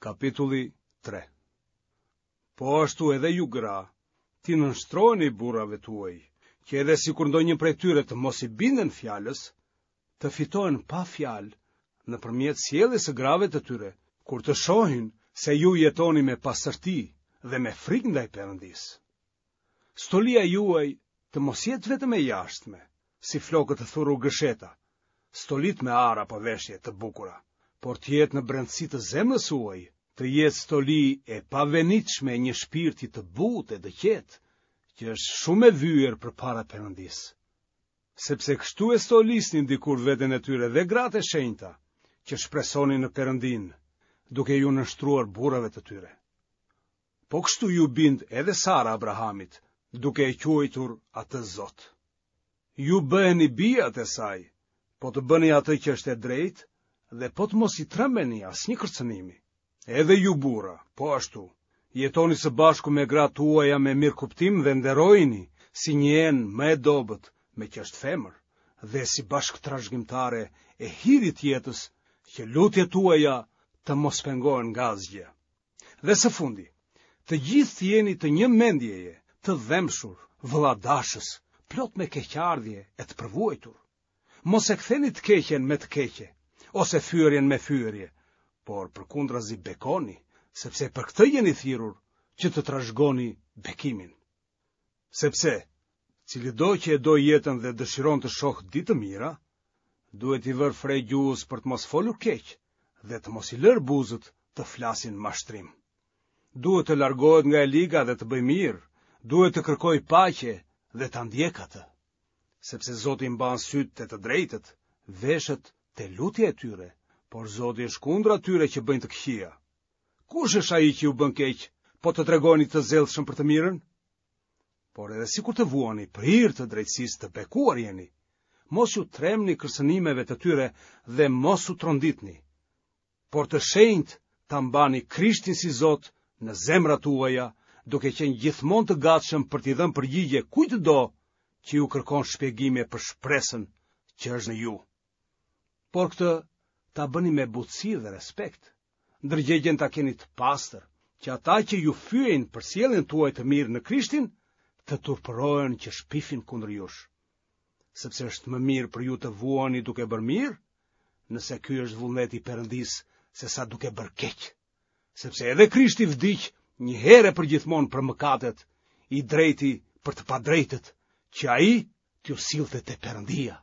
Kapitulli 3 Po ashtu edhe ju gra, t'i nënshtroheni burrave tuaj, që edhe sikur ndonjë prej tyre të mos i binden fjalës, të fitohen pa fjalë nëpërmjet sjelljes së grave të tyre, kur të shohin se ju jetoni me pastërti dhe me frikë ndaj Perëndisë. Stolia juaj të mos jetë vetëm e jashtme, si flokët të thurur gërsheta, stolitë me ar apo veshje të bukura, por të jetë në brendësi të zemrës suaj, të jetë stoli e pavenitshme e një shpirti të butë e të qetë, që është shumë e vyer përpara Perëndisë. Sepse kështu e stolisnin dikur veten e tyre dhe gratë e shenjta, që shpresonin në Perëndinë, duke iu nënshtruar burrave të tyre. Po kështu iu bind edhe Sara Abrahamit, duke e quajtur atë Zot. Ju bëheni bijat e saj, po të bëni atë që është e drejtë dhe po të mos i trembeni asnjë kërcënimi. Edhe ju burra, po ashtu, jetoni së bashku me gratë tuaja me mirëkuptim dhe nderojini si një enë më e dobët, meqë është femër, dhe si bashkëtrashëgimtare e hirit të jetës, që lutjet tuaja të mos pengohen nga asgjë. Dhe së fundi, të gjithë të jeni të një mendjeje, të dhembshur, vëlladashës, plot me keqardhje e të përvuajtur. Mos e ktheni të keqen me të keqe, ose fyerjen me fyerje, por përkundrazi bekoni, sepse për këtë jeni thirrur që të trashëgoni bekimin. Sepse, cilido që e do jetën dhe dëshiron të shohë ditë të mira, duhet t'i vërë fre gjuhës për të mos folur keq dhe të mos i lërë buzët të flasin mashtrim. Duhet të largohet nga e liga dhe të bëjë mirë, duhet të kërkojë paqe dhe ta ndjekë atë. Sepse Zoti mban sytë te të drejtët, veshët te lutja e tyre, por Zoti është kundër atyre që bëjnë të këqija. Kush është ai që ju bën keq, po të tregoheni të zellshëm për të mirën? Por edhe sikur të vuani për hir të drejtësisë të bekuar jeni, mos iu trembni kërcënimeve të tyre dhe mos u tronditni. Por të shenjtë ta mbani Krishtin si Zot në zemrat tuaja, duke qenë gjithmonë të gatshëm për t'i dhënë përgjigje kujtdo që ju kërkon shpjegime për shpresën që është në ju. Por këtë ta bëni me butësi dhe respekt. Ndërgjegjen ta keni të pastër, që ata që ju fyejnë për sjelljen tuaj të mirë në Krishtin, të turpërohen që shpifin kundër jush. Sepse është më mirë për ju të vuani duke bërë mirë, nëse ky është vullneti i Perëndisë, sesa duke bërë keq. Sepse edhe Krishti vdiq një herë e përgjithmonë për mëkatet, i drejti për të padrejtët, që ai t'ju sillte te Perëndia.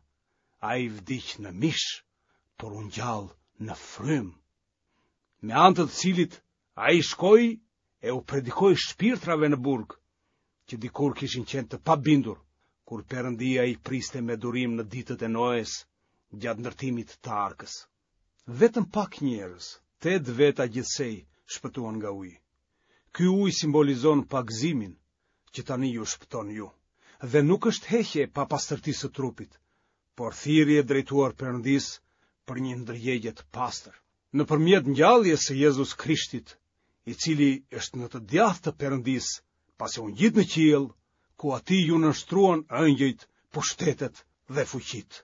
Ai vdiq në mish, por u ngjall në frymë. Me anë të të cilit ai shkoi e u predikoi shpirtrave në burg, që dikur kishin qenë të pabindur, kur Perëndia i priste me durim në ditët e Noes gjatë ndërtimit të arkës. Vetëm pak njerëz, tetë veta gjithsej, shpëtuan nga uji. Ky ujë simbolizon pagëzimin, që tani ju shpëton ju, dhe nuk është heqje e papastërtisë së trupit, por thirrje drejtuar Perëndisë për një ndërgjegje të pastër. Nëpërmjet ngjalljes së Jezus Krishtit, i cili është në të djathtë të Perëndisë, pasi u ngjit në qiell, ku atij iu nënshtruan engjëjt, pushtetet dhe fuqitë.